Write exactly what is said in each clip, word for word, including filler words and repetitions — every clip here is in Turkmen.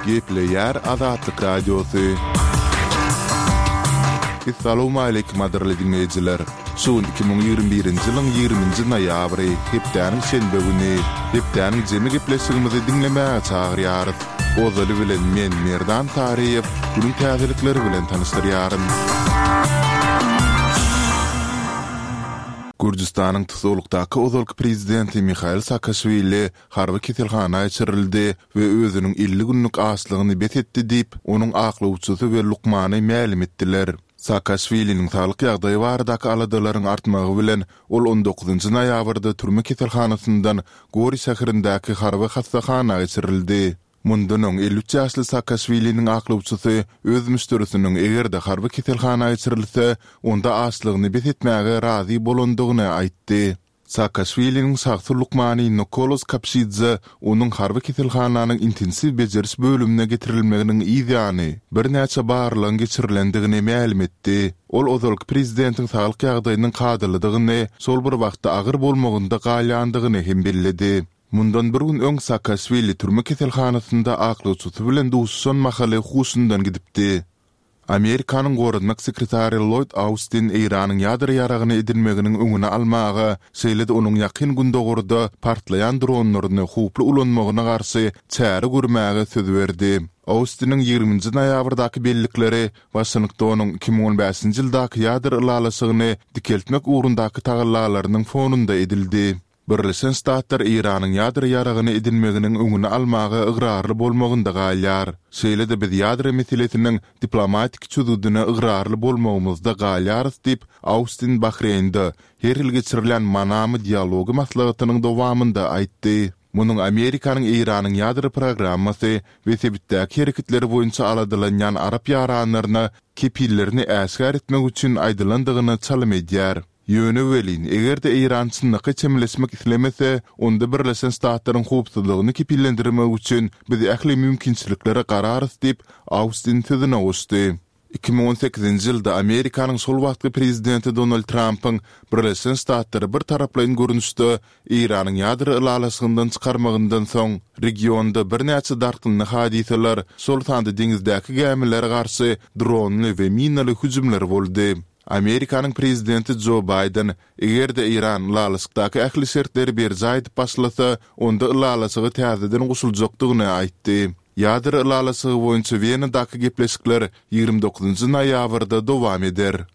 Gepleýär Azatlyk Radiosy. Essalawmaleýkim gadyrly diňleýjiler! Şu gün iki müň ýigrimi birinji ýylyň ýigriminji noýabry, hepdäniň şenbe güni. Hepdäniň jemi gepleşigimizi diňlemäge çagyrýarys. Ozaly bilen men, Merdan Taryýew, günüň täzelikleri bilen tanyşdyrýaryn. Gürjüstanyň tussaglykdaky ozalky prezidenti Mihail Saakaşwili harby keselhana geçirildi we özüniň elli günlük açlygyny bes etdi diýip, onuň aklawçysy we lukmany mälim etdiler. Saakaşwiliniň saglyk ýagdaýy baradaky aladalaryň artmagy bilen, ol on dokuzynjy noýabrda türme keselhanasyndan Gori şäherindäki harby hassahana geçirildi. Mundan öň elli üç ýaşly Saakaşwiliniň aklawçysy öz müşderisiniň eger-de harby keselhana geçirilse, onda açlygyny bes etmäge razy bolandygyny aýtdy. Saakaşwiliniň şahsy lukmany Nikolos Kapşidze onuň harby keselhananyň intensiw bejeriş bölümine getirilmeginiň yz ýany, birnäçe barlagyň geçirilendigini mälim etdi. Ol ozalky prezidentiň saglyk ýagdaýynyň kadalydygyny, şol bir wagtda agyr bolmagynda galýandygyny hem belledi. Mundan bir gün öň Saakaşwili türme keselhanasynda aklawçysy bilen duşuşan mahaly huşundan gidipdi. Amerikanyň goranmak sekretary Lloýd Austin Eýranyň ýadro ýaragyny edinmeginiň öňüni almaga, şeýle-de onuň Ýakyn Gündogarda partlaýan dronlaryny howply ulanmagyna garşy çäre görmäge söz berdi. Austiniň ýigriminji noýabrdaky bellikleri Waşingtonyň iki müň on bäşinji ýyldaky ýadro ylalaşygyny dikeltmek ugrundaky tagallalarynyň fonunda edildi. Birleşen Ştatlar Eýranyň ýadro ýaragyny edinmeginiň öňüni almaga ygrarly bolmagynda galýar. Şeýle-de biz ýadro meselesiniň diplomatik çözgüdine ygrarly bolmagymyzda galýarys diýip, Austin Bahreýnde her ýyl geçirilýän Manama dialogy maslahatynyň dowamynda aýtdy. Munuň Amerikanyň Eýranyň ýadro programmasy we sebitdäki hereketleri boýunça aladalanýan arap ýaranlaryna kepillerini äşgär etmek üçin aýdylandygyna çalym edýär. Ýöne welin, eger-de Eýran çynlakaý çemeleşmek islemese, onda Birleşen Ştatlaryň howpsuzlygyny kepillendirmek üçin biz ähli mümkinçiliklere gararys diýip, Austin sözüne goşdy. Iki müň on sekizinji ýylda Amerikanyň şol wagtky prezidenti Donald Trampyň Birleşen Ştatlary bir taraplaýyn görnüşde Eýranyň ýadro ylalaşygyndan çykarmagyndan soň, regionda birnäçe dartgynly hadysalar, şol sanda deňizdäki gämilere garşy dronly we minaly hüjümler boldy. Amerikanyň prezidenti Jo Baýden, eger-de Eýran ylalaşykdaky ähli şertleri berjaý edip başlasa, onda ylalaşyga täzeden goşuljakdygyny aýtdy. Ýadro ylalaşygy boýunça Wenadaky gepleşikler ýigrimi dokuzynjy noýabrda dowam eder.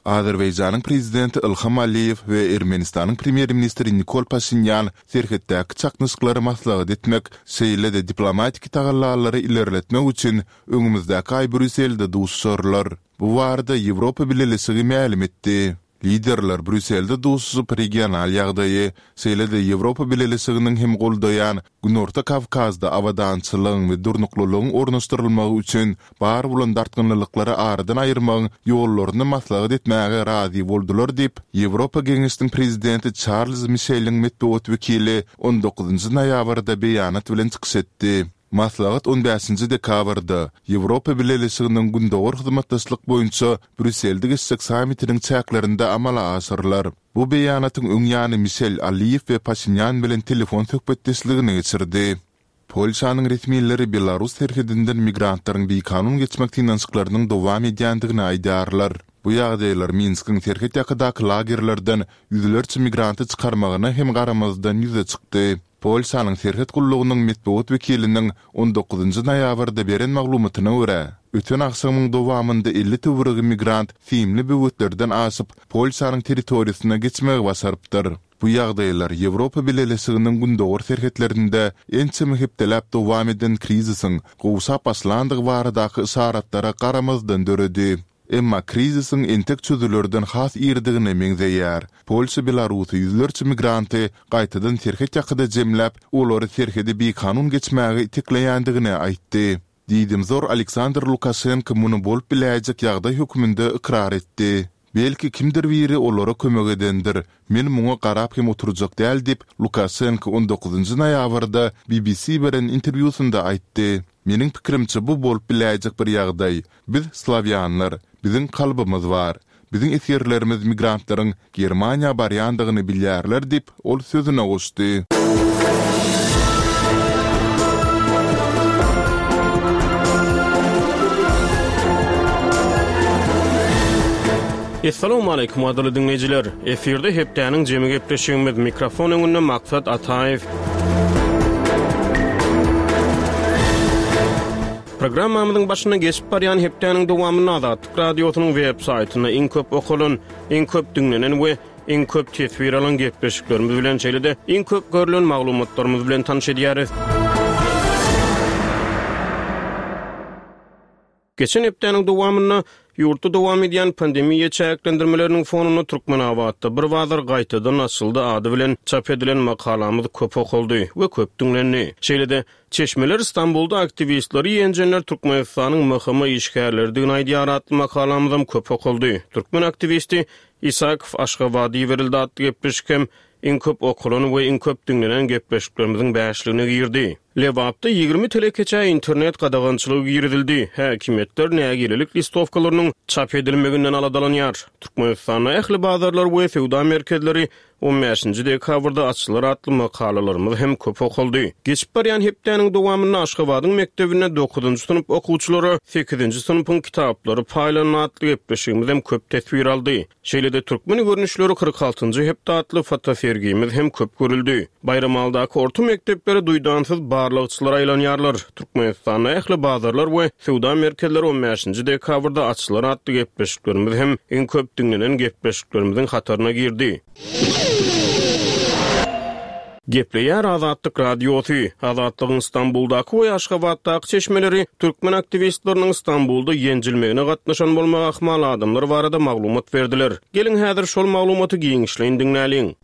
Azerbaýjanyň prezidenti Ilham Aliýew we Ermenistanyň premýer-ministri Nikol Paşinýan serhetdäki çaknyşyklary maslahat etmek, şeýle-de diplomatiki tagallalary ilerletmek üçin öňümizdäki aý Brýusselde duşuşarlar. Bu barada Ýewropa Bileleşigi mälim etdi. Liderler Brýusselde duşuşyp, regional ýagdaýy, şeýle-de Ýewropa Bileleşiginiň hem goldaýan Günorta Kawkazda abadançylygyň we durnuklylygyň ornaşdyrylmagy üçin bar bolan dartgynlylyklary aradan aýyrmagyň ýollaryny maslahat etmäge razy boldular diýip, Ýewropa Geňeşiniň Prezidenti Çarlz Mişeliň metbugat wekili on dokuzynjy noýabrda beýanat bilen çykyş etdi. Maslahat on bäşinji dekabrda, Ýewropa Bileleşiginiň Gündogar hyzmatdaşlyk boýunça Brýusselde geçjek sammitiniň çäklerinde amala aşyrylar. Bu beýanatyň öň ýany Mişel Aliýew we Paşinýan bilen telefon söhbetdeşligini geçirdi. Polşanyň resmileri belarus serhedinden migrantlaryň bikanun geçmek synanyşyklarynyň dowam edýändigini aýdýarlar. Bu ýagdaýlar Minskiň serhet ýakadaky lagerlerden ýüzlerçe migranty çykarmagyna hem garamazdan ýüze çykdy. Polşanyň serhet gullugynyň metbugat wekiliniň on dokuzynjy noýabrda beren maglumatyna görä, öten agşamyň dowamynda elli töweregi migrant simli böwetlerden aşyp, Polşanyň territoriýasyna geçmegi başarypdyr. Bu ýagdaýlar Ýewropa Bileleşiginiň gündogar serhetlerinde ençeme hepdeläp dowam eden krizisiň gowşap başlandygy baradaky yşaratlara garamazdan döredi. Emma krizisiň entek çözülerden has irdigine meňzeýär. Polşa Belarusy ýüzlerçe migranty gaýtadan serhet ýakada jemläp, olary serhedi bikanun geçmäge itekleýändigini aýtdy. Diýdimzor Aleksandr Lukaşenko muny bolup biläýjek ýagdaý hökmünde ykrar etdi. Belki kimdir biri olara kömek edendir, men muňa garap hem oturjak däl diýip, Lukaşenko on dokuzynjy noýabrda B B C beren interwýusynda aýtdy. Meniň pikirimçe bu bolup biläýjek bir ýagdaý. Biz slawýanlar, biziň kalbymyz bar. Biziň esgerlerimiz migrantlaryň Germaniýa barýandygyny bilýärler diýip, ol sözüne goşdy. Essalamu aleýkum gadyrly diňleýjiler. Efirde hepdäniň jemi gepleşigimiz mikrofon öňünde Maksat Ataýew. Programmamyzyň başyna geçip barýan hepdäniň dowamynda Azatlyk radiosynyň web saýtynda iň köp okalan, iň köp diňlenen we iň köp teswir alan gepleşiklerimiz bilen şeýle-de iň köp görülen maglumatlarymyz bilen tanyş edýäris. Geçen hepdäniň dowamynda ýurtda dowam edýän pandemiýa çäklendirmeleriniň fonunda Türkmenabatda bir bazar gaýtadan açyldy ady bilen çap edilen makalamyz köp okaldy we köp diňlendi. Şeýle-de çeşmeler Stambulda aktiwistleri ýenjenler Türkmenistanyň M H M işgärleridigini aýdýar atly makalamyzam köp okaldy. Türkmen aktiwisti Isakow Aşgabady iberildi atly gepleşik hem iň köp okalan we iň köp diňlenen gepleşiklerimizin bäşligine girdi. Lebapda ýigrimi telekeçä internet gadagançylygy girizildi. Häkimiýetler nägilelik listowkalarynyň çap edilmeginden aladalanýar. Türkmenistanda ähli bazarlar we söwda merkezleri on bäşinji dekabrda açylar atly makalalarymyz hem köp okaldy. Geçip barýan hepdäniň dowamynda Aşgabadyň mekdebinde dokuzynjy synp okuwçylara sekizinji synpyň kitaplary paýlandy atly gepleşigimiz hem köp teswir aldy. Şeýle-de türkmen görnüşleri kyrk altynjy hepde atly fotosergimiz hem köp görüldi. Baýramaldaky orta mekdeplere duýdansyz barlagçylar aýlanýarlar. Türkmenistanda ähli bazarlar we söwda merkezleri on bäşinji dekabrda açylar atly gepleşiklerimiz hem iň köp diňlenen gepleşiklerimiziň hataryna girdi. Gepleýär Azatlyk Radiosy. Azatlygyň Stambuldaky we Aşgabatdaky çeşmeleri türkmen aktiwistleriniň Stambulda ýenjilmegine gatnaşan bolmagy ahmal adamlar barada maglumat berdiler. Geliň häzir şol maglumaty giňişleýin diňläliň.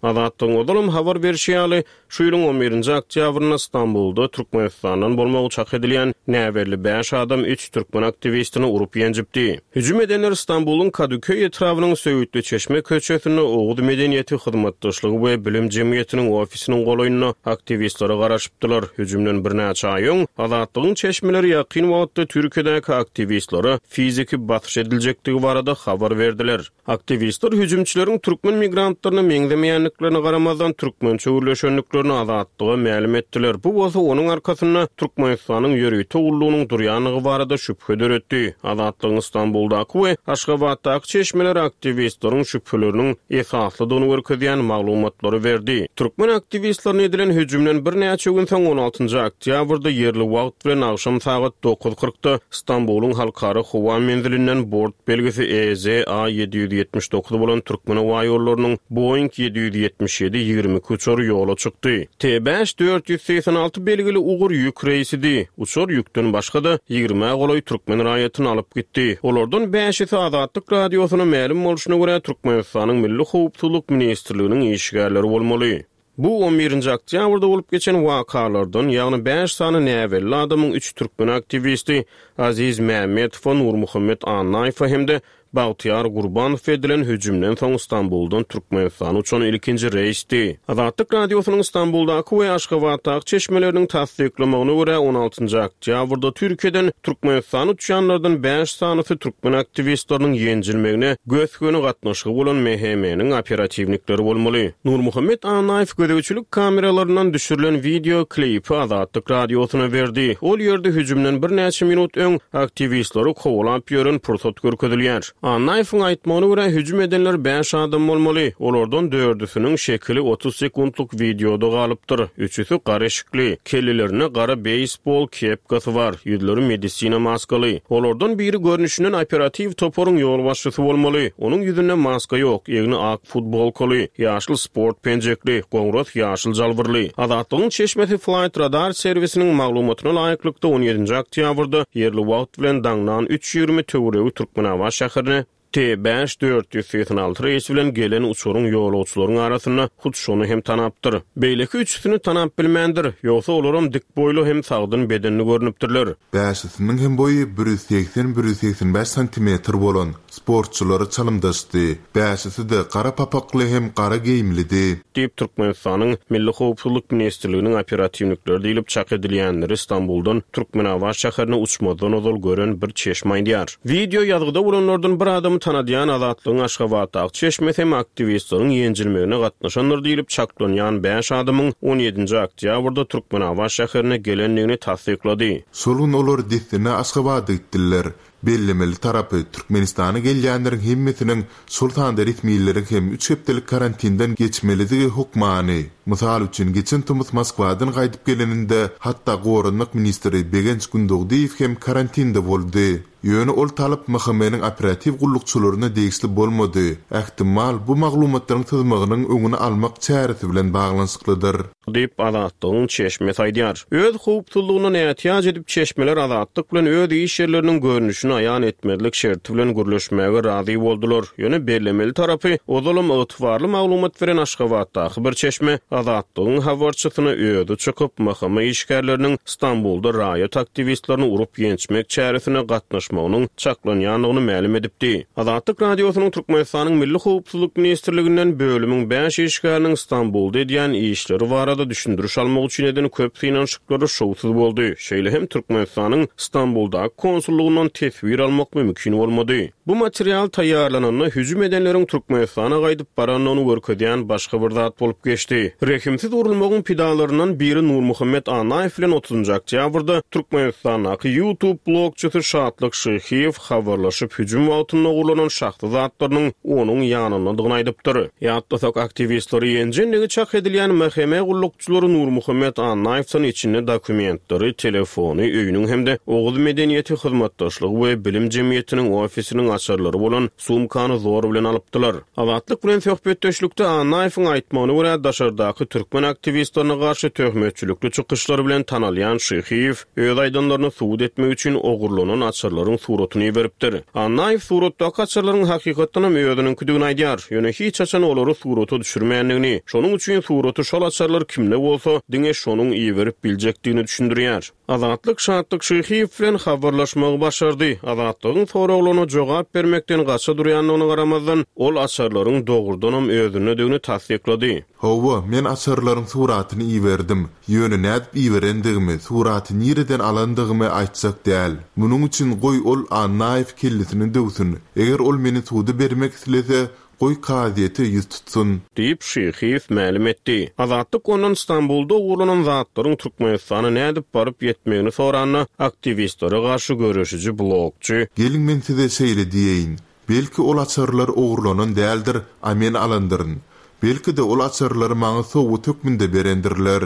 Azatlygyň ozalam habar berişi ýaly, şu ýylyň on birinji oktýabrynda Stambulda Türkmenistandan bolmagy çak edilýän näbelli bäş adam üç türkmen aktiwistini urup ýenjipdi. Hüjüm edenler Stambulyň Kadıköy etrabynyň Söğütlü Çeşme köçesinde Oguz Medeniýeti Hyzmatdaşlygy we Bilim Jemgyýetiniň ofisiniň golaýynda aktiwistlere garaşypdylar. Hüjümden birnäçe aý öň Azatlygyň çeşmeleri ýakyn wagtda Türkiýedäki aktiwistlere fiziki basyş ediljekdigi barada habar berdiler. Aktiwistler hüjümçileriň türkmen migrantlaryna meňzemeýändiklerine garamazdan türkmençe gürleşendiklerini Azatlyga mälim etdiler. Bu bolsa onuň arkasynda Türkmenistanyň ýörite gullugynyň durýanlygy barada şübhe döretdi. Azatlygyň Stambuldaky we Aşgabatdaky çeşmeler aktiwistleriň şübheleriniň esaslydygyny görkezýän maglumatlary berdi. Türkmen aktiwistlerine edilen hüjümden birnäçe gün soň on altynjy oktýabrda ýerli wagt bilen agşam sagat dokuz kyrkda Stambulyň halkara howa menzilinden bort belgisi E Z A ýedi ýüz ýetmiş dokuz bolan Türkmen howa ýollarynyň Boeing ýedi ýüz ýetmiş ýedi ýigrimi iki uçary ýola çykdy. T bäş dört ýüz segsen alty belgili ugur ýük reýsidi. Uçar ýükden başga-da ýigrimä golaý türkmen raýatyny alyp gitdi. Olardan bäşisi Azatlyk radiosyna mälim bolşuna görä Türkmenistanyň Milli Howpsuzlyk Ministrliginiň işgärleri bolmaly. Bu on birinji oktýabrda bolup geçen wakalardan, ýagny bäş sany näbelli adamyň üç türkmen aktiwisti Aziz Mehmetowa, Nurmuhammet Annaýewa hem-de Bagtyýar Gurbanow edilen hüjümden soň Stambuldan Türkmenistana uçan ilkinji reýsdi. Azatlyk radiosynyň Stambuldaky we Aşgabatdaky çeşmeleriniň tassyklamagyna görä on altynjy oktýabrda Türkiýeden Türkmenistana uçýanlardan bäş sanysy türkmen aktiwistleriniň ýenjilmegine gös-göni gatnaşygy bolan M H M-niň operatiwnikleri bolmaly. Nurmuhammet Annaýew gözegçilik kameralaryndan düşürilen video klipi Azatlyk radiosyna berdi. Ol ýerde hüjümden birnäçe minut öň aktiwistleri kowalap ýören pursat görkezilýär. Annaýewiň aýtmagyna görä hüjüm edenler bäş adam bolmaly. Olardan dördüsiniň şekili otuz sekundlyk videoda galypdyr. Üçüsi gara eşikli, kellelerinde gara beysbol kepkasy bar, ýüzleri medisina maskaly. Olardan biri görnüşinden operatiw toparyň ýolbaşçysy bolmaly. Onuň ýüzünde maska ýok, egni ak futbolkaly, ýaşyl sport penjekli, goňras ýaşyl jalbyrly. Azatlygyň çeşmesi Flight Radar serwisiniň maglumatyna laýyklykda on ýedinji oktýabrda ýerli wagt bilen daňdan üç ýigrimi töweregi Türkmenabat şäherine T bäş dört ýüz segsen alty reýsi bilen gelen uçaryň ýolagçylaryň arasynda hut şony hem tanapdyr. Beýleki üçüsini tanap bilmändir, ýogsa olaram dik boýly hem sagdyn bedenli görnüpdirler. Bäşisiniň hem boýy bir ýüz segsen, bir ýüz segsen bäş santimetr bolan sportçylary çalymdaşdy. Bäşisi-de gara papakly hem gara geýimlidi. Diýip Türkmenistanyň Milli Howpsuzlyk Ministrliginiň operatiwnikleri diýilip çak edilýänleri Stambuldan Türkmenabat şäherine uçmazdan ozal gören bir çeşme aýdýar. Video ýazgyda bolanlardan bir adamy tanadýan Azatlygyň Aşgabatdaky çeşmesi hem aktiwistleriň ýenjilmegine gatnaşandyr diýilip çaklanýan bäş adamyň on ýedinji oktýabrda Türkmenabat şäherine gelendigini tassyklady. Şol gün olar dessine Aşgabada gitdiler. Bellemeli tarapy, Türkmenistana gelýänleriň hemmesiniň, şol sanda resmileriň hem üç hepdelik karantinden geçmelidigi hökmany. Mysal üçin, geçen tomus Moskwadan gaýdyp geleninde, hatda goranmak ministri Begenç Gündogdyýew hem karantinde boldy. Ýöne ol talap M H M-niň operatiw gullukçylaryna degişli bolmady. Ähtimal, bu maglumatlaryň syzmagynyň öňüni almak çäresi bilen baglanyşyklydyr. Diýip, Azatlygyň çeşmesi aýdýar. Öz howpsuzlygyna ätiýaç edip, çeşmeler Azatlyk bilen öz iş ýerleriniň görnüşini aýan etmezlik şerti bilen gürleşmäge razy boldular. Ýöne bellemeli tarapy, ozalam ygtybarly maglumat beren Aşgabatdaky bir çeşme Azatlygyň habarçysyna özi çykyp, M H M işgärleriniň Stambulda raýat aktiwistlerini urup ýençmek çäresine gatnaşmagynyň çaklanýandygyny mälim edipdi. Azatlyk Radiosynyň Türkmenistanyň Milli Howpsuzlyk ministrliginden bölümiň bäş işgäriniň Stambulda edýän işleri barada düşündiriş almak üçin eden köp synanyşyklary şowsuz boldy. Şeýle hem Türkmenistanyň Stambuldaky konsullugyndan teswir almak mümkin bolmady. Bu material taýýarlananda hüjüm edenleriň Türkmenistana gaýdyp barandygyny görkezýän başga bir zat bolup geçdi. Rehimsiz urulmagyň pidalaryndan biri Nurmuhammet Annaýew bilen otuzynjy oktýabrda Türkmenistandaky YouTube blogçysy Şatlyk Şyhyýew habarlaşyp, hüjüm wagtynda ogurlanan şahsy zatlarynyň onuň ýanyndadygyny aýdypdyr. Ýatlasak, aktiwistleri ýenjenligi çak edilýän M H M gullukçylary Nurmuhammet Annaýewden içinde dokumentleri, telefony, öýüniň hem-de Oguz medeniýeti hyzmatdaşlygy we bilim jemgyýetiniň ofisiniň açarlary bolan sumkany zor bilen alypdylar. Azatlyk bilen söhbetdeşlikde Annaýewiň aýtmagyna görä, daşardaky türkmen aktiwistlerine garşy töhmetçilikli çykyşlary bilen tanalýan Şyhyýew öz aýdanlaryny subut etmek üçin ogurlanan açarlaryň suratyny beripdir. Annaýew suratdaky açarlaryň hakykatdan hem özüniňkidigini aýdýar. Ýöne hiç haçan olary surata düşürmändigini, şonuň üçin suraty şol açarlar kimde bolsa, diňe şonuň iberip biljekdigini düşündirýär. Azatlyk Şatlyk Şyhyýew bilen habarlaşmagy başardy. Azatlygyň soraglaryna jogap bermekden gaça durýandygyna garamazdan, ol açarlaryň dogrudanam özündedigini tassyklady. Hawa, men açarlaryň suratyny iberdim. Ýöne nädip iberendigimi, suraty nireden alandygymy aýtjak däl. Munuň üçin goý ol Annaýew kellesini döwsün. Eger ol meni suda bermek islese, goý kazyýete ýüz tutsun. Diýip Şyhyýew mälim etdi. Azatlyk ondan Stambulda ogurlanan zatlaryň Türkmenistana nädip baryp ýetmegini soranda, aktiwistlere garşy göreşiji blogçy Geliň, men size şeýle diýeýin. Belki ol açarlar ogurlanan däldir, a men alandyryn. Belki-de ol açarlary maňa sowgat hökmünde berendirler.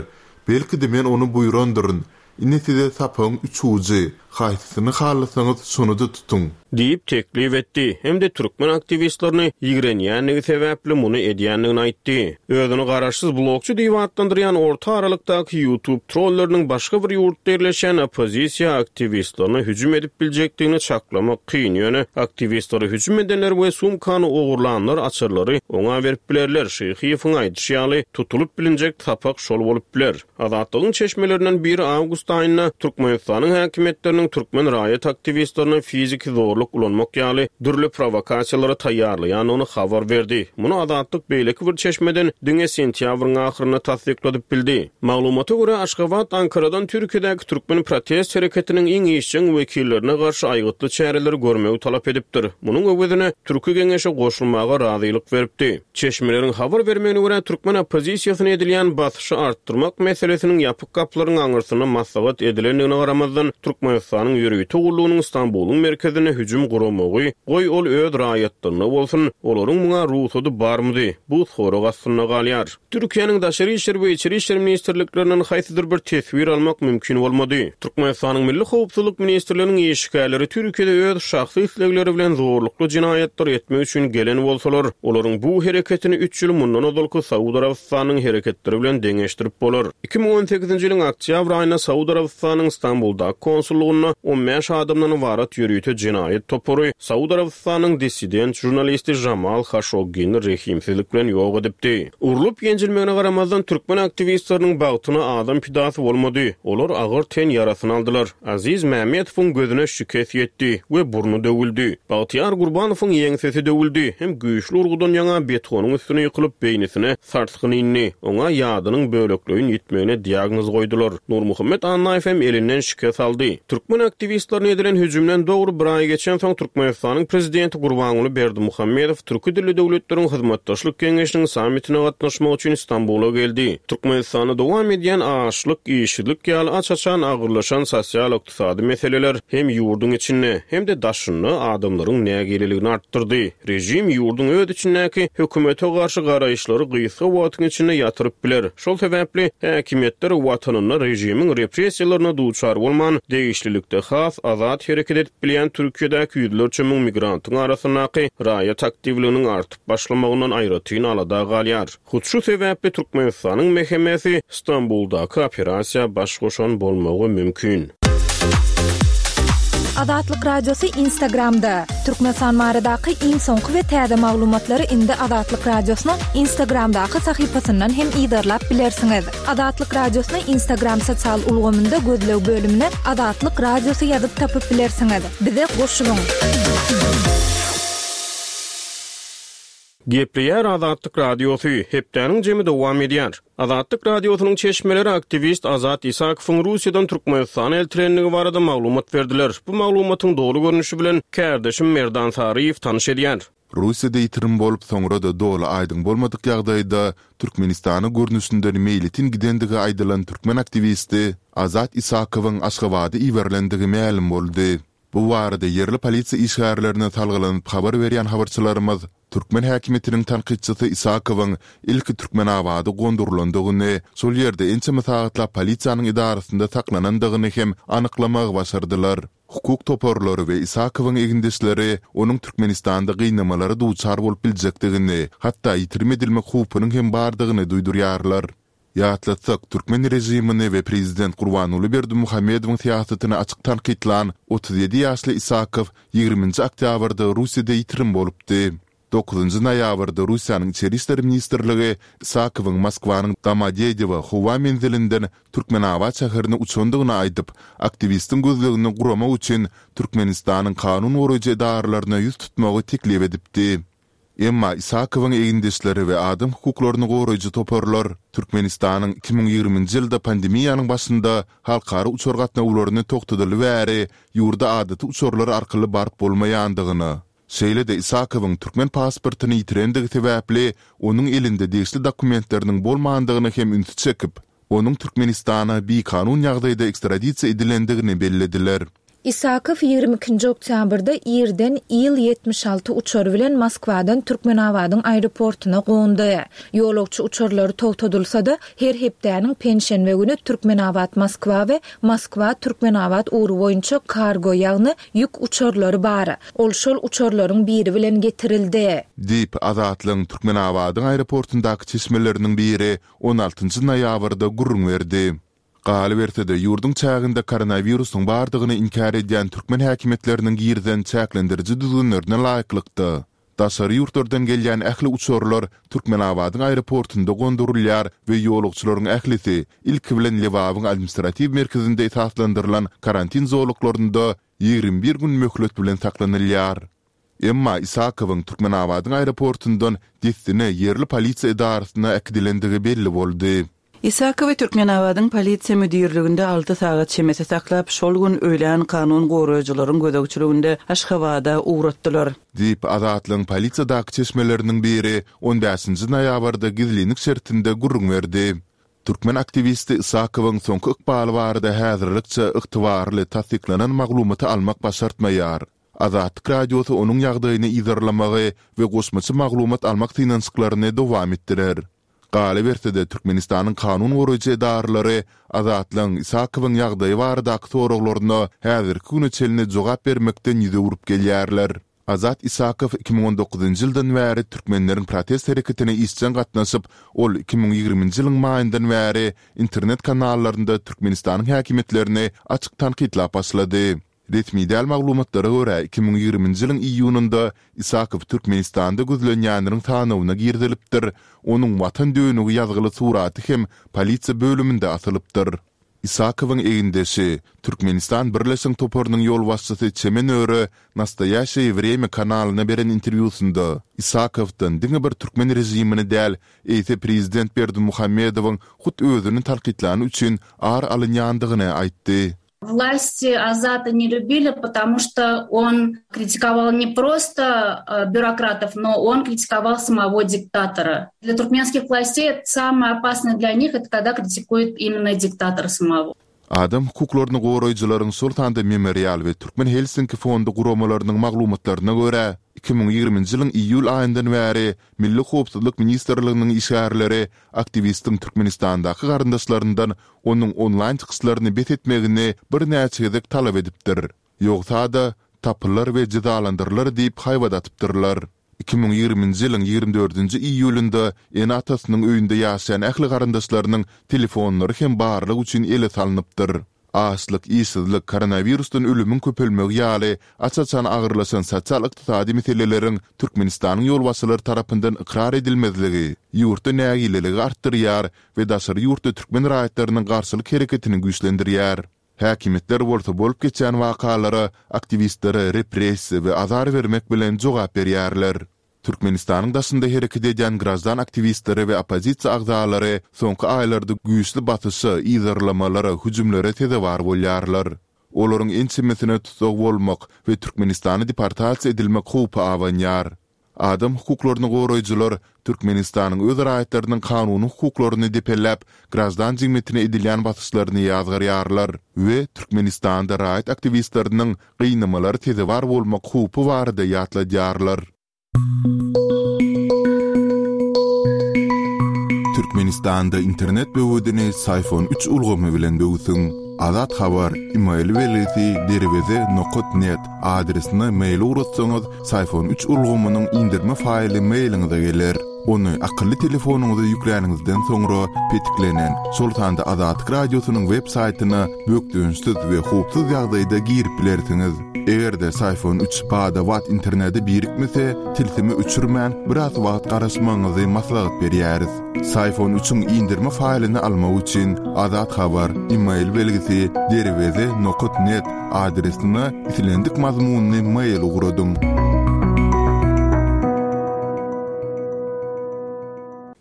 Belki-de men ony buýrandyryn. Ine size sapagyň üç ujy. Haýsysyny halasaňyz, şony-da tutuň. Diýip teklip etdi. Hem-de türkmen aktiwistlerini ýigrenýänligi sebäpli muny edýändigini aýtdy. Özüni garaşsyz blogçy diýip atlandyrýan orta aralykdaky YouTube trolleriniň başga bir ýurtda ýerleşen oppozisiýa aktiwistlerine hüjüm edip biljekdigini çaklamak kyn. Ýöne aktiwistleri hüjüm edenler we sumkany ogurlanlar açarlary oňa berip bilerler. Şyhyýewiň aýdyşy ýaly, tutulyp bilinjek sapak şol bolup biler. Azatlygyň çeşmelerinden biri awgust aýynda Türkmenistanyň häkimiýetleriniň türkmen raýat aktiwistlerine fiziki zorluk ulanmak ýaly dürli provokasiýalary taýýarlaýandygyny habar berdi. Muny Azatlyk beýleki bir çeşmeden diňe sentýabryň ahyrynda tassykladyp bildi. Maglumata görä, Aşgabat Ankaradan Türkiýedäki türkmen protest hereketiniň iň işjeň wekillerine garşy aýgytly çäreleri görmegi talap edipdir. Munuň öwezine Türki Geňeşe goşulmaga razylyk beripdi. Çeşmeleriň habar bermegine görä, türkmen oppozisiýasyna edilýän basyşy artdyrmak meselesiniň ýapyk gapylaryň aňyrsynda maslahat edilendigine garamazdan, Türkmenistanyň ýörite gullugynyň Stambulyň merkezine hüjüm guramagy, goý ol öz raýatlaryna bolsun, olaryň muňa rugsady barmydy? Bu sorag astynda galýar. Türkiýäniň Daşary işler we Içeri işler ministrliklerinden haýsydyr bir teswir almak mümkin bolmady. Türkmenistanyň Milli Howpsuzlyk ministrliginiň işgärleri Türkiýede öz şahsy islegleri bilen zorlukly jenaýatlar etmek üçin gelen bolsalar, olaryň bu hereketini üç ýyl mundan ozalky Saud Arabystanyň hereketleri bilen deňeşdirip bolar. iki müň on sekizinji ýylyň oktýabr aýynda Saud Arabystanyň Stambuldaky konsullugynda on bäş adamdan ybarat ýörite jenaýat topary Saud Arabystanyň dissident žurnalisti Jamal Haşoggini rehimsizlik bilen ýok edipdi. Urlup ýenjilmegine garamazdan, türkmen aktiwistleriniň bagtyna adam pidasy bolmady. Olar agyr ten ýarasyny aldylar. Aziz Mämmedowyň gözüne şikes ýetdi we burny döwüldi. Bagtyýar Gurbanowyň ýeňsesi döwüldi. Hem güýçli urgudan ýaňa betonyň üstüne ýykylyp, beýnisine sarsgyn indi. Oňa ýadynyň bölekleýin ýitmegine diagnoz goýdular. Nurmuhammet Annaýew hem elinden şikes aldy. Türkmen aktiwistlerine edilen hüjümden dogry bir aý geçen geçensoň, Türkmenistanyň Prezidenti Gurbanguly Berdimuhamedow Türki dilli döwletleriň hyzmatdaşlyk geňeşiniň sammitine gatnaşmak üçin Stambula geldi. Türkmenistanda dowam edýän açlyk, işsizlik ýaly aç-açan agyrlaşan sosial-ykdysady meseleler hem ýurduň içinde, hem-de daşynda adamlaryň nägileligini artdyrdy. Režim ýurduň öz içindäki hökümete garşy garaýyşlary gysga wagtyň içinde ýatyryp biler. Şol sebäpli häkimiýetler watanynda režimiň repressiýalaryna duçar bolman, degişlilikde has azat hereket edip bilýän Türkiýedäki ýüzlerçe müň migrantyň arasyndaky raýat aktiwliginiň artyp başlamagyndan aýratyn alada galýar. Hut şu sebäpli Türkmenistanyň M H M-si Stambuldaky operasiýa baş goşan bolmagy mümkin. Azatlyk Radiosy Instagramda. Türkmenistan baradaky iň soňky we täze maglumatlary indi Azatlyk Radiosynyň Instagramdaky sahypasyndan hem yzarlap bilersiňiz. Azatlyk Radiosyny Instagram sosial ulgamynda gözleg bölümine Azatlyk Radiosy ýazyp tapyp bilersiňiz. Bize goşulyň. Gepleýär Azatlyk Radiosy, hepdäniň jemi dowam edýär. Azatlyk Radiosynyň çeşmeleri aktiwist Azat Isakowyň Russiýadan Türkmenistana eltilendigi barada maglumat berdiler. Bu maglumatyň doly görnüşi bilen kärdeşim Merdan Saryýew tanyş edýär. Russiýada ýitirim bolup, soňra-da doly aýdyň bolmadyk ýagdaýda Türkmenistana görnüşinden meýletin gidendigi aýdylan türkmen aktiwisti Azat Isakowyň Aşgabada iberilendigi mälim boldy. Bu barada ýerli polisiýa işgärlerine salgylanyp habar berýän habarçylarymyz türkmen häkimiýetiniň tankytçysy Isakowyň ilki Türkmenabada gondurylandygyny, şol ýerde ençeme sagatlap polisiýanyň edarasynda saklanandygyny hem anyklamagy başardylar. Hukuk toparlary we Isakowyň egindeşleri onuň Türkmenistanda gynamalara duçar bolup biljekdigini, hatda ýitirim edilmek howpunyň hem bardygyny duýdurýarlar. Ýatlatsak, türkmen režimini we prezident Gurbanguly Berdimuhamedowyň syýasatyny açyk tankytlan otuz ýedi ýaşly Isakow ýigriminji oktýabrda Russiýada ýitirim bolupdy. Dokuzynjy noýabrda Russiýanyň Içeri işler ministrligi Isakowyň Moskwanyň Domodedowo howa menzilinden Türkmenabat şäherine uçandygyny aýdyp, aktiwistiň gözlegini guramak üçin Türkmenistanyň kanun goraýjy edaralaryna ýüz tutmagy teklip edipdi. Emma Isakowyň egindeşleri we adam hukuklaryny goraýjy toparlar Türkmenistanyň iki müň ýigriminji ýylda pandemiýanyň başynda halkara uçar gatnawlaryny togtadyly bäri ýurda adaty uçarlar arkaly baryp bolmaýandygyny, şeýle-de Isakowyň türkmen pasportyny ýitirendigi sebäpli onuň elinde degişli dokumentleriniň bolmandygyny hem ünsi çekip, onuň Türkmenistana bikanun ýagdaýda ekstradisiýa edilendigini bellediler. Isakow ýigrimi ikinji oktýabrda irden Il ýetmiş alty uçary bilen Moskwadan Türkmenabadyň aeroportuna gondy. Ýolagçy uçarlary togtadylsa-da, her hepdäniň penşenbe güni Türkmenabat-Moskwa we Moskwa-Türkmenabat ugry boýunça kargo, ýagny ýük uçarlary bar. Ol şol uçarlaryň biri bilen getirildi. Diýip, Azatlygyň Türkmenabadyň aeroportundaky çeşmeleriniň biri on altynjy noýabrda gürrüň berdi. Galyberse-de, ýurduň çäginde koronawirusyň bardygyny inkär edýän türkmen häkimiýetleriniň girizen çäklendiriji düzgünlerine laýyklykda, daşary ýurtlardan gelýän ähli uçarlar Türkmenabadyň aeroportunda gondurylýar we ýolagçylaryň ählisi ilki bilen Lebabyň administratiw merkezinde esaslandyrylan karantin zolaklarynda ýigrimi bir gün möhlet bilen saklanylýar. Emma Isakowyň Türkmenabadyň aeroportundan dessine ýerli polisiýa edarasyna äkidilendigi belli boldy. Isakowy Türkmenabadyň polisiýa müdirliginde alty sagat çemesi saklap, şol gün öýlän kanun goraýjylaryň gözegçiliginde Aşgabada ugratdylar. Diýip, Azatlygyň polisiýadaky çeşmeleriniň biri on bäşinji noýabrda gizlinlik şertinde gürrüň berdi. Türkmen aktiwisti Isakowyň soňky ykbaly barada häzirlikçe ygtybarly tassyklanan maglumaty almak başartmaýar. Azatlyk Radiosy onuň ýagdaýyny yzarlamagy we goşmaça maglumat almak synanyşyklaryny dowam etdirer. Galyberse-de, Türkmenistanyň kanun goraýjy edaralary Azatlygyň Isakowyň ýagdaýy baradaky soraglaryna häzirki güne çenli jogap bermekden ýüz öwrüp gelýärler. Azat Isakow iki müň on dokuzynjy ýyldan bäri türkmenleriň protest hereketine işjeň gatnaşyp, ol iki müň ýigriminji ýylyň maýyndan bäri internet kanallarynda Türkmenistanyň häkimiýetlerini açyk tankytlap başlady. Resmi däl maglumatlara görä, iki müň ýigriminji ýylyň iýunynda Isakow Türkmenistanda gözlenýänleriň sanawyna girizilipdir, onuň Watan dönügi ýazgyly suraty hem polisiýa bölüminde asylypdyr. Isakowyň egindeşi, Türkmenistan Birleşiň toparynyň ýolbaşçysy Çemen Öre Nastoýaşeýe Wremýa kanalyna beren interwýusynda Isakowdan diňe bir türkmen režimini däl, eýse prezident Berdimuhamedowyň hut özüni tankytlany üçin ar alynýandygyny aýtdy. Власти Азата не любили, потому что он критиковал не просто э, бюрократов, но он критиковал самого диктатора. Для туркменских властей самое опасное для них это когда критикует именно диктатора самого. Adam hukuklaryny goraýjylaryň, şol sanda Memorial we Türkmen Helsinki fondy guramalarynyň maglumatlaryna görä, iki müň ýigriminji ýylyň iýul aýyndan bäri Milli howpsuzlyk ministrliginiň işgärleri aktiwistiň Türkmenistandaky garyndaşlaryndan onuň onlaýn çykyşlaryny bes etmegini birnäçe gezek talap edipdir. Ýogsa-da, tapylar we jezalandyrylar diýip haýbat atypdyrlar. Iki müň ýigriminji ýylyň ýigrimi dördünji iýulynda ene-atasynyň öýünde ýaşaýan ähli garyndaşlarynyň telefonlary hem barlyk üçin ele salnypdyr. Açlyk, işsizlik, koronawirusdan ölümiň köpelmegi ýaly aç-açan agyrlaşan sosial-ykdysady meseleleriň Türkmenistanyň ýolbaşçylary tarapyndan ykrar edilmezligi ýurtda nägileligi artdyrýar we daşary ýurtda türkmen raýatlarynyň garşylyk hereketini güýçlendirýär. Häkimiýetler bolsa bolup geçýän wakalara aktiwistlere repressiýa we azar bermek bilen jogap berýärler. Türkmenistanyň daşynda hereket edýän graždan aktiwistleri we oppozisiýa agzalary soňky aýlarda güýçli basyşa, yzarlamalara, hüjümlere sezewar bolýarlar. Olaryň ençemesine tussag bolmak we Türkmenistana deportasiýa edilmek howpy abanýar. Adam hukuklaryny goraýjylar Türkmenistanyň öz raýatlarynyň kanuny hukuklaryny depeläp, graždan jemgyýetine edilýän basyşlaryny ýazgarýarlar we Türkmenistanda raýat aktiwistleriniň gynamalary sezewar bolmak howpy barada ýatladýarlar. Türkmenistanda internet böwedini Syfon üç ulgamy bilen böwsüň. Azat Habar, e-mail belgisi derweze nokat net adresine mail ugratsaňyz, Syfon üç ulgamynyň indirme faýly mailiňize geler. Ony akylly telefonyňyza ýükläniňizden soňra petiklenen, şol sanda Azatlyk radiosynyň web saýtyna bökdençsiz we howpsuz ýagdaýda girip bilersiňiz. Eger-de Syfon üç bada-bat internete birikmese, tilsimi öçürmän biraz wagt garaşmagyňyzy maslahat berýäris. Syfon üçiň indirme faýlyny almak üçin Azat Habar, e-mail belgisi derweze nokat net adresine islendik mazmunyny mail ugradyň.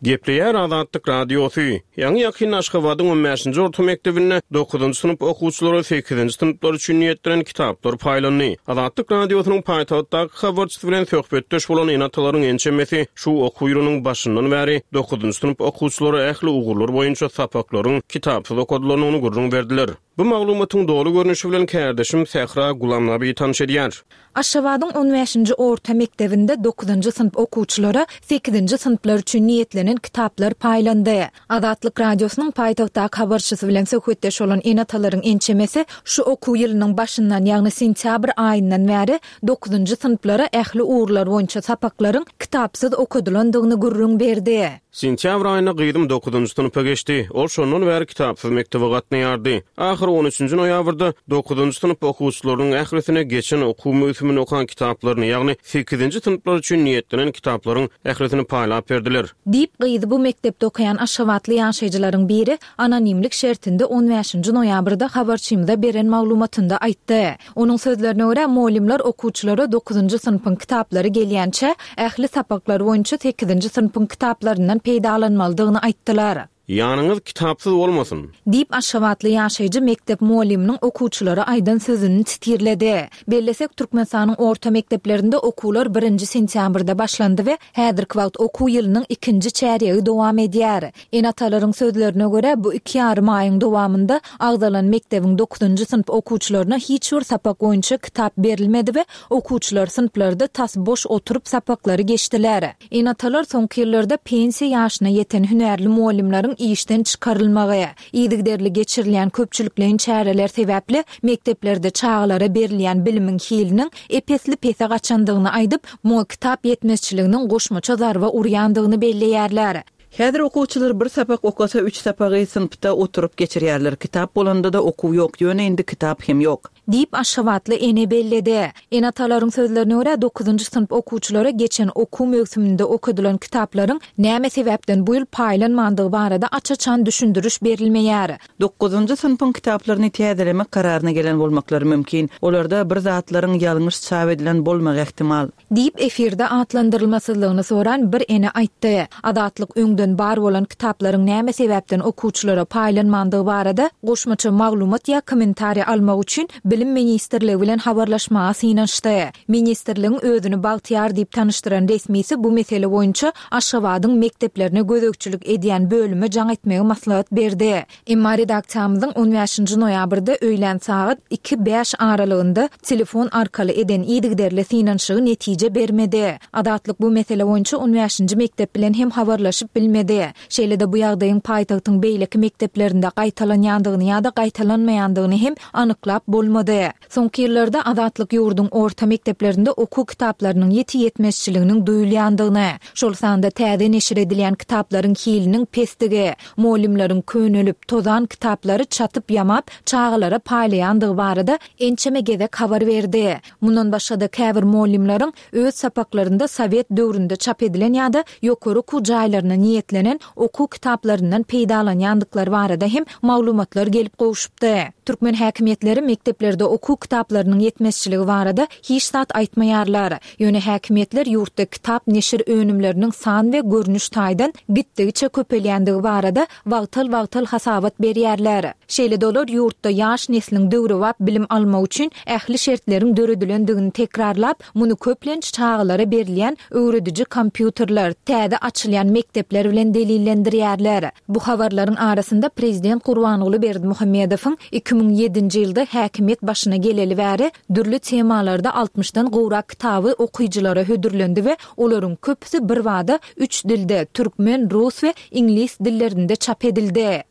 Gepleýär Azatlyk radiosy. Ýaňy ýakyn Aşgabadyň on bäşinji orta mekdebinde dokuzynjy synp okuwçylary sekizinji synplar üçin niýetlenen kitaplar paýlandy. Azatlyk radiosynyň paýtagtdaky habarçysy bilen söhbetdeş bolan ene-atalaryň ençemesi şu okuw ýylynyň başyndan bäri dokuzynjy synp okuwçylary ähli ugurlar boýunça sapaklaryň kitapsyz okadylandygyny gürrüň berdiler. Bu maglumatyň doly görnüşi bilen kärdeşim Sähra Gulamnabi tanyş edýär. Aşgabadyň on bäşinji orta mekdebinde dokuzynjy synp okuwçylara sekizinji synplar üçin niýetlenen kitaplar paýlandy. Azatlyk radiosynyň paýtagtdaky habarçysy bilen söhbetdeş bolan ene-atalaryň ençemesi şu okuw ýylynyň başyndan, ýagny sentýabr aýyndan bäri dokuzynjy synplara ähli ugurlar boýunça sapaklaryň kitapsyz okadylandygyny gürrüň berdi. Sentýabr aýynda gyzym dokuzynjy synpa geçdi. Ol şondan bäri kitapsyz mektebe gatnaýardy. Ahyr on üçünji noýabrda dokuzynjy synp okuwçylarynyň ählisine geçen okuw möwsümini okan kitaplaryny, ýagny sekizinji synplar üçin niýetlenen kitaplaryň ählisini paýlap berdiler. Diýip, gyzy bu mekdepde okaýan Aşgabatly ýaşaýjylaryň biri anonimlik şertinde on bäşinji noýabrda habarçymyza beren maglumatynda aýtdy. Onuň sözlerine görä, muallimler okuwçylara dokuzynjy synpyň kitaplary gelýänçe ähli sapaklar boýunça sekizinji synpyň kitaplaryndan peýdalanmalydygyny aýtdylar. Ýanyňyz kitapsyz bolmasyn. Diýip Aşgabatly ýaşaýjy mekdep mualliminiň okuwçylara aýdan sözüni titirledi. Bellesek, Türkmenistanyň orta mekdeplerinde okuwlar birinji sentýabrda başlandy we häzirki wagt okuw ýylynyň ikinji çärýegi dowam edýär. Ene-atalaryň sözlerine görä, bu iki ýarym aýyň dowamynda agzalan mekdebiň dokuzynjy synp okuwçylaryna hiç bir sapak boýunça kitap berilmedi we okuwçylar synplarda tas boş oturyp sapaklary geçdiler. Ene-atalar soňky ýyllarda pensiýa ýaşyna ýeten hünärli muallimleriň işden çykarylmagy, yzygiderli geçirilýän köpçülikleýin çäreler sebäpli mekdeplerde çagalara berilýän bilimiň hiliniň epesli pese gaçandygyny aýdyp, muňa kitap ýetmezçiliginiň goşmaça zarba urýandygyny belleýärler. Häzir okuwçylar bir sapak okasa üç sapagy synpda oturyp geçirýärler. Kitap bolanda da okuw ýok, ýöne indi kitap hem ýok. Diýip Aşgabatly ene belledi. Ene-atalaryň sözlerine görä dokuzynjy synp okuwçylara geçen okuw möwsüminde okadylan kitaplaryň näme sebäpden bu ýyl paýlanmandygy barada aç-açan düşündiriş berilmeýär. Dokuzynjy synpyň kitaplaryny täzelemek kararyna gelen bolmaklary mümkin. Olarda bir zatlaryň ýalňyş çap edilen bolmagy ähtimal. Diýip efirde atlandyrylmasyzlygyny soran bir ene aýtdy. Azatlyk öňden öňden bar bolan kitaplaryň näme sebäpden okuwçylara paýlanmandygy barada goşmaça maglumat ýa kommentariý almak üçin Bilim ministrligi bilen habarlaşmaga synanyşdy. Ministrligiň özüni Bagtyýar diýip tanyşdyran resmisi bu mesele boýunça Aşgabadyň mekdeplerine gözegçilik edýän bölüme jaň etmegi maslahat berdi. Emma redaksiýamyzyň on bäşinji noýabrda öýlän sagat iki, bäş aralygynda telefon arkaly eden yzygiderli synanyşygy netije bermedi. Azatlyk bu mesele boýunça on bäşinji mekdep bilen hem habarlaşyp bilmedi. Şeýle-de bu ýagdaýyň paýtagtyň beýleki mekdeplerinde gaýtalanýandygyny ýa-da gaýtalanmaýandygyny hem anyklap bolmady. Soňky ýyllarda Azatlyk ýurduň orta mekdeplerinde okuw kitaplarynyň ýiti ýetmezçiliginiň duýulýandygyny, şol sanda täze neşir edilýän kitaplaryň hiliniň pesdigi, mugallymlaryň könelip, tozan kitaplary çatyp-ýamap çagalara paýlaýandygy barada ençeme gezek habar berdi. Mundan başga-da käbir mugallymlaryň öz sapaklarynda sowet döwründe çap edilen ýa-da ýokary okuw jaýlaryna niýetlenen okuw kitaplaryndan peýdalanýandyklary barada hem maglumatlar gelip gowşupdy. Türkmen häkimiýetleri mekdeplerde okuw kitaplarynyň ýetmezçiligi barada hiç zat aýtmaýarlar. Ýöne häkimiýetler ýurtda kitap neşir önümleriniň san we görnüş taýdan gitdigiçe köpelýändigi barada wagtal-wagtal hasabat berýärler. Şeýle-de olar ýurtda ýaş nesliň döwrebap bilim almagy üçin ähli şertleriň döredilendigini tekrarlap, muny köplenç çagalara berilýän öwrediji kompýuterler, täze açylýan mekdepler bilen delillendirýärler. Bu habarlaryň arasynda prezident Gurbanguly Berdimuhamedowyň iki müň ýedinji ýylda häkimiýet başyna geleli bäri dürli temalarda altmyşdan gowrak kitaby okyjylara hödürlendi we olaryň köpüsi birbada üç dilde, türkmen, rus we iňlis dillerinde çap edildi.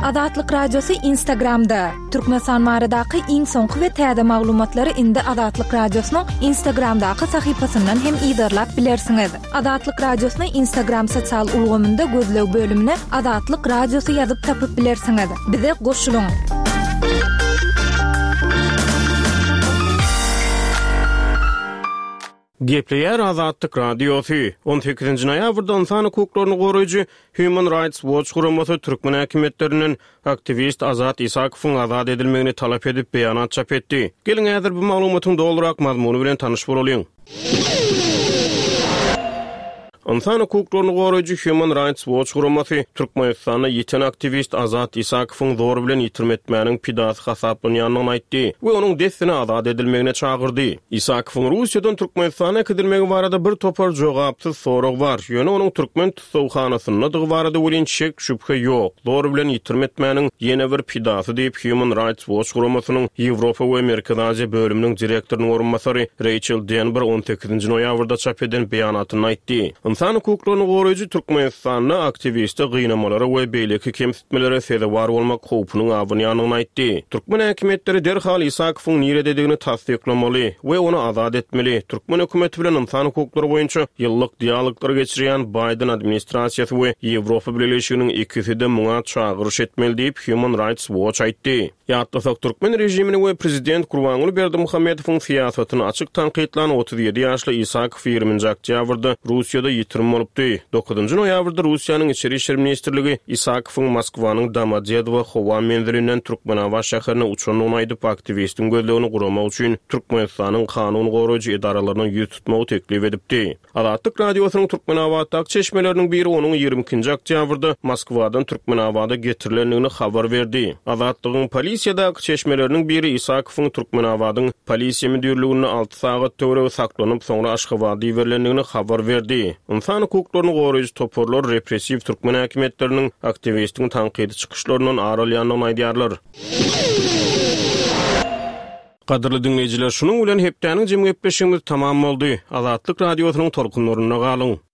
Azatlyk Radiosy Instagramda. Türkmenistan baradaky iň soňky we täze maglumatlary indi Azatlyk Radiosynyň Instagramdaky sahypasyndan hem yzarlap bilersiňiz. Azatlyk Radiosyny Instagram sosial ulgamynda gözleg bölümine Azatlyk Radiosy ýazyp tapyp bilersiňiz. Bize goşulyň. Gepleýär Azatlyk Radiosy. On sekizinji noýabrda ynsan hukuklaryny goraýjy Human Rights Watch guramasy türkmen häkimiýetlerinden aktiwist Azat Isakowyň azat edilmegini talap edip beýanat çap etdi. Geliň häzir bu maglumatyň dolurak mazmuny bilen tanyş bolalyň. Ynsan hukuklaryny goraýjy Human Rights Watch guramasy Türkmenistanda ýiten aktiwist Azat Isakowyň zor bilen ýitirim etmäniň pidasy hasaplanýandygyny aýtdy we onuň dessine azat edilmegine çagyrdy. Isakowyň Russiýadan Türkmenistana äkidilmegi barada bir topar jogapsyz sorag bar, ýöne onuň türkmen tussaghanasyndadygy barada welin şek şübhe ýok. Zor bilen ýitirim etmäniň ýene bir pidasy diýip Human Rights Watch guramasynyň Ýewropa we Merkezi Aziýa bölüminiň direktorynyň orunbasary Rachel Denber on sekizinji noýabrda çap eden beýanatynda aýtdy. Ynsan hukuklaryny goraýjy Türkmenistanda aktiwiste gynamalara we beýleki kemsitmelere sezewar bolmak howpunyň abanýandygyny aýtdy. Türkmen häkimiýetleri derhal Isakowyň nirededigini tassyklamaly we ony azat etmeli. Türkmen hökümeti bilen ynsan hukuklary boýunça ýyllyk dialoglar geçirýän Biden administrasiýasy we Ýewropa Bileleşiginiň ikisi-de muňa çagyryş etmeli diýip Human Rights Watch aýtdy. Ýatlasak, türkmen režimini we prezident Gurbanguly Berdimuhamedowyň syýasatyny açyk tankytlan otuz ýedi ýaşly Isakow ýigriminji oktýabrda Russiýada ýitirim bolupdy. Dokuzynjy noýabrda Russiýanyň Içeri işler ministrligi Isakowyň Moskwanyň Domodedowo howa menzilinden Türkmenabat şäherine uçandygyny aýdyp, aktiwistiň gözlegini guramak üçin Türkmenistanyň kanun goraýjy edaralaryna ýüz tutmagy teklip edipdi. Azatlyk Radiosynyň Türkmenabatdaky çeşmeleriniň biri onuň ýigrimi ikinji oktýabrda Moskwadan Türkmenabada getirilendigini habar berdi. Azatlygyň polisiýadaky çeşmeleriniň biri Isakowyň Türkmenabadyň polisiýa müdirliginde alty sagat töweregi saklanyp, soňra Aşgabada iberilendigini habar berdi. Ynsan hukuklaryny goraýjy toparlar repressiw türkmen häkimiýetleriniň aktiwistiň tankydy çykyşlaryndan ar alýandygyny aýdýarlar. Gadyrly dinleýjiler, şunuň bilen hepdäniň jemgyýetleşigimiz tamam boldy. Azatlyk Radiosynyň tolkunlarynda galyň.